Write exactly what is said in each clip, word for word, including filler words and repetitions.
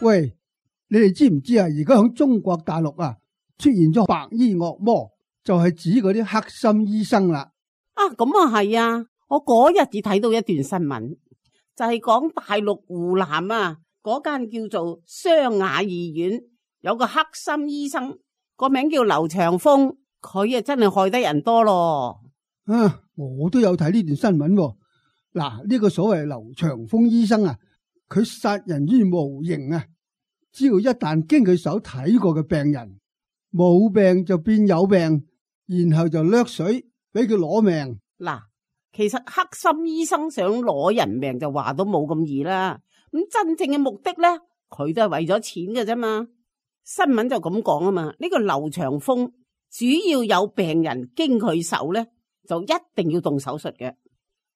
喂，你哋知唔知啊？而家響中國大陸啊，出現咗白衣惡魔，就係指嗰啲黑心醫生啦。啊，咁啊係啊！我嗰日只睇到一段新聞，就係講大陸湖南啊，嗰間叫做湘雅醫院有個黑心醫生，個名叫劉長峰，佢啊真係害得人多咯。啊，我都有睇呢段新聞喎。嗱，呢個所謂劉長峰醫生啊，佢殺人於無形啊！只要一旦經佢手睇過嘅病人冇病就變有病，然後就掠水俾佢攞命。嗱，其實黑心醫生想攞人命就話都冇咁易啦。咁真正嘅目的咧，佢都係為咗錢嘅啫嘛。新聞就咁講啊嘛。呢個劉長峰主要有病人經佢手咧，就一定要動手術嘅，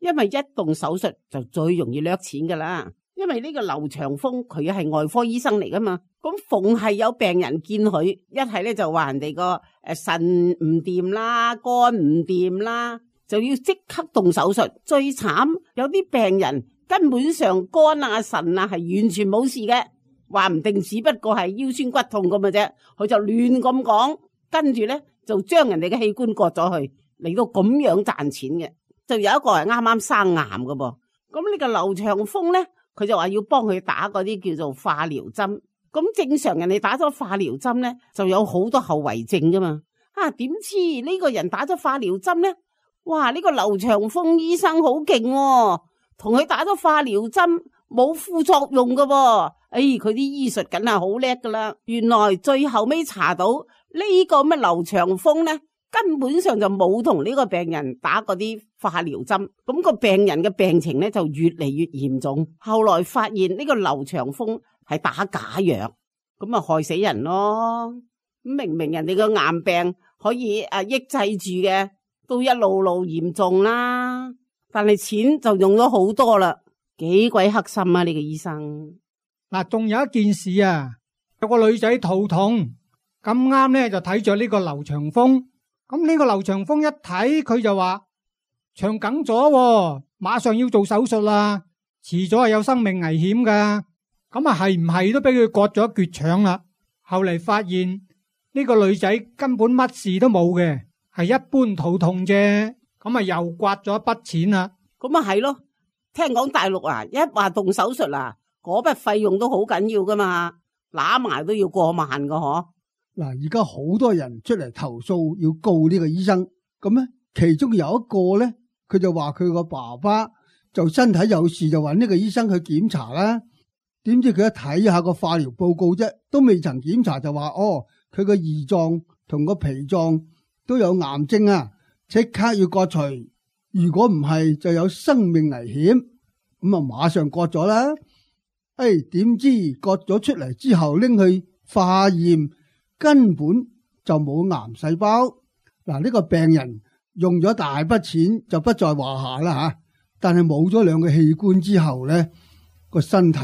因為一動手術就最容易掠錢噶啦。因為呢個劉長峰佢係外科醫生嚟噶嘛，咁逢係有病人見佢，一係咧就話人哋個誒腎唔掂啦，肝唔掂啦，就要即刻動手術。最慘有啲病人根本上肝啊腎啊係完全冇事嘅，話唔定只不過係腰酸骨痛咁嘅啫，佢就亂咁講，跟住咧就將人哋嘅器官割咗去，嚟到咁樣賺錢嘅。就有一個係啱啱生癌嘅噃，咁呢個劉長峰咧，佢就話要幫佢打嗰啲叫做化療針。咁正常人哋打咗化療針咧，就有好多後遺症噶嘛。啊，點知呢個人打咗化療針咧？哇！呢個劉長峰醫生好勁喎，同佢打咗化療針冇副作用噶喎。哎，佢啲醫術梗係好叻噶啦。原來最後尾查到呢個咩劉長峰咧，根本上就冇同呢個病人打嗰啲化療針，咁個病人嘅病情咧就越嚟越嚴重。後來發現呢個劉長峰係打假藥，咁啊害死人咯。明明人哋個癌病可以啊抑制住嘅，都一路路嚴重啦。但係錢就用咗好多啦，幾鬼黑心啊！呢個醫生嗱，仲有一件事啊，有個女仔肚痛，咁啱咧就睇咗呢個劉長峰。咁呢個劉長峰一睇佢就話腸梗咗，馬上要做手術啦，遲咗係有生命危險噶。咁啊係唔係都俾佢割咗一橛腸啦？後嚟發現呢個女仔根本乜事都冇嘅，係一般肚痛啫。咁啊又刮咗一筆錢啦。咁啊係咯，聽講大陸啊一話動手術啊，嗰筆費用都好緊要噶嘛，揦埋都要過萬噶嗬。嗱，而家好多人出嚟投訴要告呢個醫生，咁咧其中有一個咧，佢就話佢個爸爸就身體有事，就揾呢個醫生去檢查啦。點知佢一睇下個化療報告啫，都未曾檢查就話哦，佢個胰臟同個脾臟都有癌症啊，即刻要割除。如果唔係就有生命危險，咁啊馬上割咗啦。誒，點知割咗出嚟之後拎去化驗，根本就冇癌細胞。嗱，呢個病人用咗大筆錢就不在話下啦吓，但係冇咗兩個器官之後咧，個身體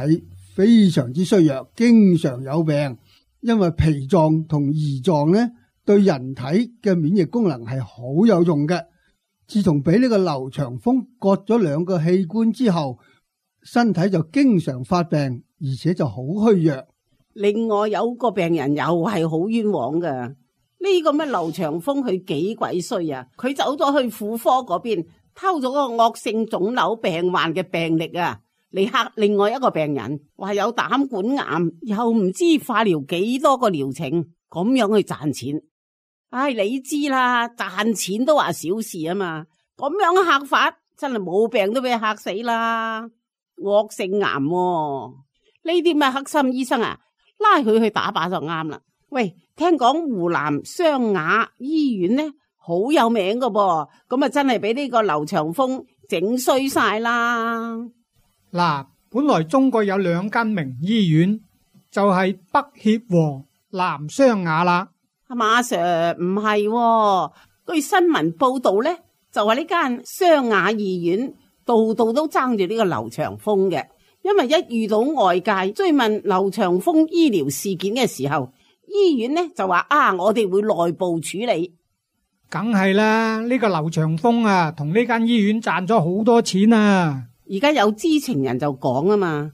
非常之衰弱，經常有病。因為脾臟同胰臟咧對人體嘅免疫功能係好有用嘅。自從俾呢個劉長峰割咗兩個器官之後，身體就經常發病，而且就好虛弱。另外有個病人又係好冤枉噶，呢個咩劉長峰佢幾鬼衰啊！佢走咗去婦科嗰邊偷咗個惡性腫瘤病患嘅病歷啊，嚟嚇另外一個病人，話有膽管癌，又唔知化療幾多個療程，咁樣去賺錢。唉，你知啦，賺錢都話小事啊嘛，咁樣嚇法真係冇病都俾嚇死啦。惡性癌喎，呢啲咩黑心醫生啊，拉佢去打靶就啱啦。喂，聽講湖南湘雅醫院呢好有名噶噃，咁啊真係俾呢個劉長峰整衰晒啦。嗱，本來中國有兩間名醫院，就係北協和南湘雅啦。馬 Sir 唔係喎，據新聞報道咧，就話呢間湘雅醫院度度都爭住呢個劉長峰嘅。因為一遇到外界追問劉長峰醫療事件嘅時候，醫院呢就話啊，我哋會內部處理。梗係啦，呢個劉長峰啊，同呢間醫院賺咗好多錢啊。而家有知情人就講啊嘛，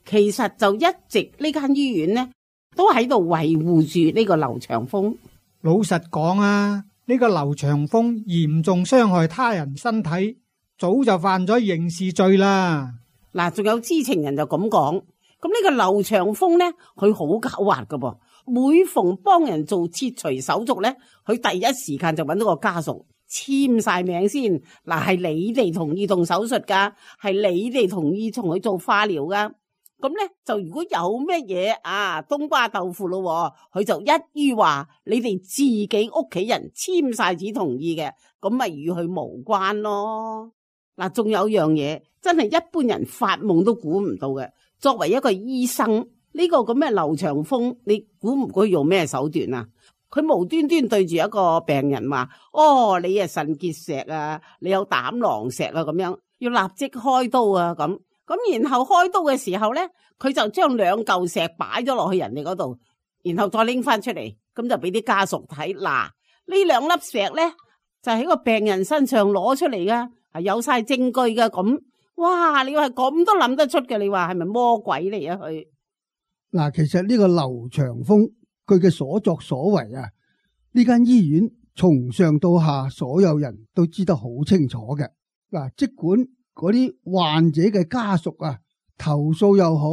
其實就一直呢間醫院呢都喺度維護住呢個劉長風。老實講啊，呢個劉長風嚴重傷害他人身體，早就犯咗刑事罪啦。嗱，仲有知情人就咁講，咁呢個劉長風呢，佢好狡猾噶噃，每逢幫人做切除手術呢，佢第一時間就揾到個家屬簽晒名先。嗱，係你哋同意動手術噶，係你哋同意同佢做化療噶。咁咧就如果有咩嘢啊冬瓜豆腐咯，佢就一於話你哋自己屋企人簽晒紙同意嘅，咁咪與佢無關咯。嗱，仲有樣嘢真係一般人發夢都估唔到嘅。作為一個醫生，呢個咁嘅劉長風，你估唔估佢用咩手段啊？佢無端端對住一個病人話：哦，你係腎結石啊，你有膽囊石啊，咁樣要立即開刀啊，咁。咁然後開刀嘅時候咧，佢就將兩嚿石擺咗落去人哋嗰度，然後再拎翻出嚟，咁就俾啲家屬睇。嗱，呢兩粒石咧就喺個病人身上攞出嚟噶，係有晒證據噶。咁哇，你話咁都諗得出嘅？你話係咪魔鬼嚟啊？佢嗱，其實呢個劉長風佢嘅所作所為啊，呢間醫院從上到下所有人都知得好清楚嘅。嗱，即管嗰啲患者嘅家屬啊，投訴又好，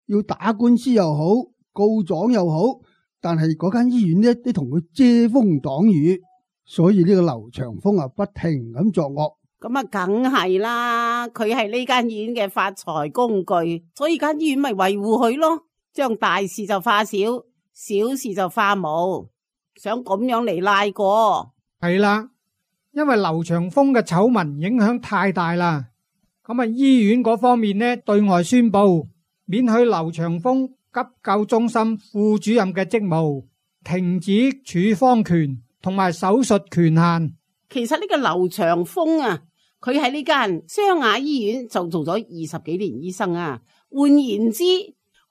要打官司又好，告狀又好，但係嗰間醫院呢，都同佢遮風擋雨，所以呢個劉長風啊，不停咁作惡。咁啊，梗係啦，佢係呢間醫院嘅發財工具，所以間醫院咪維護佢咯，將大事就化小，小事就化無，想咁樣嚟賴過。係啦，因為劉長風嘅醜聞影響太大啦。咁啊，醫院嗰方面呢，對外宣布免許劉長風急救中心副主任嘅職務，停止處方權同埋手術權限。其實呢個劉長風啊，佢喺呢間湘雅醫院就做咗二十幾年醫生啊。換言之，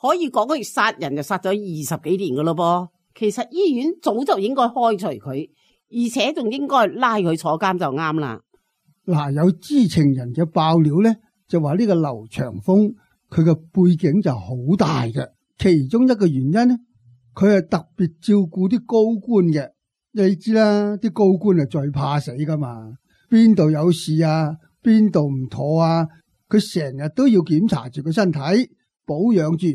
可以講佢殺人就殺咗二十幾年噶咯噃。其實醫院早就應該開除佢，而且仲應該拉佢坐監就啱啦。嗱，有知情人嘅爆料咧，就話呢個劉長風佢嘅背景就好大嘅，其中一個原因咧，佢係特別照顧啲高官嘅。你知啦，啲高官係最怕死噶嘛，邊度有事啊，邊度唔妥啊，佢成日都要檢查住個身體，保養住。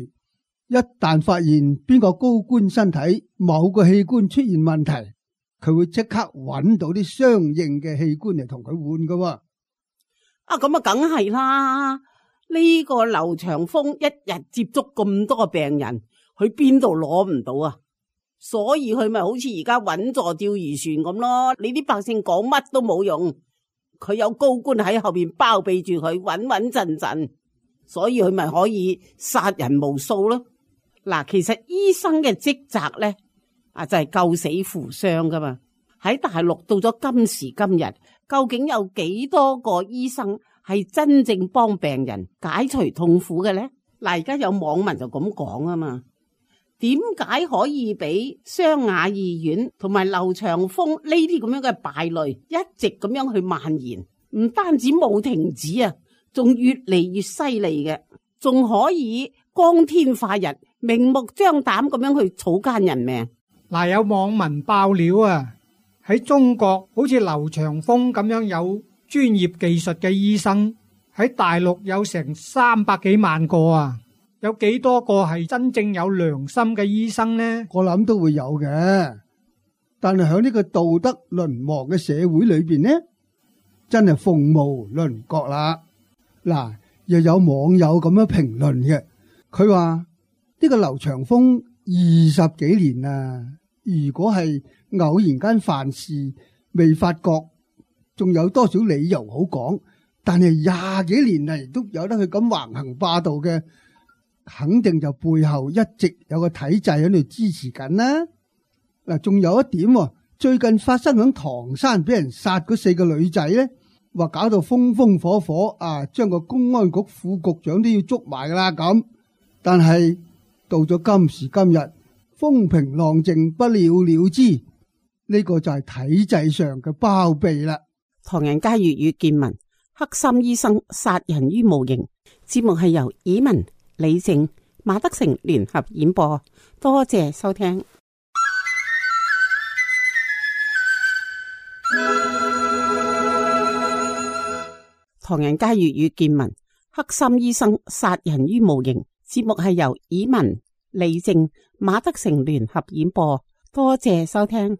一旦發現邊個高官身體某個器官出現問題，佢會即刻揾到啲相應嘅器官嚟同佢換噶。啊，咁啊，梗係啦！呢個劉長風一日接觸咁多個病人，佢邊度攞唔到啊？所以佢咪好似而家穩坐釣魚船咁咯。你啲百姓講乜都冇用，佢有高官喺後邊包庇住佢，穩穩陣陣，所以佢咪可以殺人無數咯。嗱，其實醫生嘅職責咧，啊就係救死扶傷噶嘛。喺大陸到咗今時今日，究竟有幾多個醫生係真正幫病人解除痛苦嘅咧？嗱，而家有網民就咁講啊嘛。點解可以俾湘雅醫院同埋劉長風呢啲咁樣嘅敗類一直咁樣去蔓延？唔單止冇停止啊，仲越嚟越犀利嘅，仲可以光天化日、明目張膽咁樣去草菅人命。嗱，有網民爆料啊，喺中國好似劉長風咁樣有專業技術嘅醫生，喺大陸有成三百幾萬個啊。有幾多個係真正有良心嘅醫生呢？我諗都會有嘅，但係喺呢個道德淪亡嘅社會裏邊呢，真係鳳毛麟角啦。嗱，又有網友咁樣評論嘅，佢話呢個劉長風二十幾年啊，如果係偶然間犯事未發覺，仲有多少理由好講？但係廿幾年嚟都有得佢咁橫行霸道嘅，肯定就背後一直有個體制喺度支持緊啦。嗱，仲有一點，最近發生響唐山俾人殺嗰四個女仔咧，話搞到風風火火啊，將個公安局副局長都要捉埋噶啦咁。但係到咗今時今日，風平浪靜，不了了之，呢個就係體制上嘅包庇啦。唐人街粵語見聞，黑心醫生殺人於無形。節目係由以文、李靜、馬德成聯合演播，多謝收聽。唐人街粵語見聞，黑心醫生殺人於無形。節目係由以文、李靜、馬德成聯合演播，多謝收聽。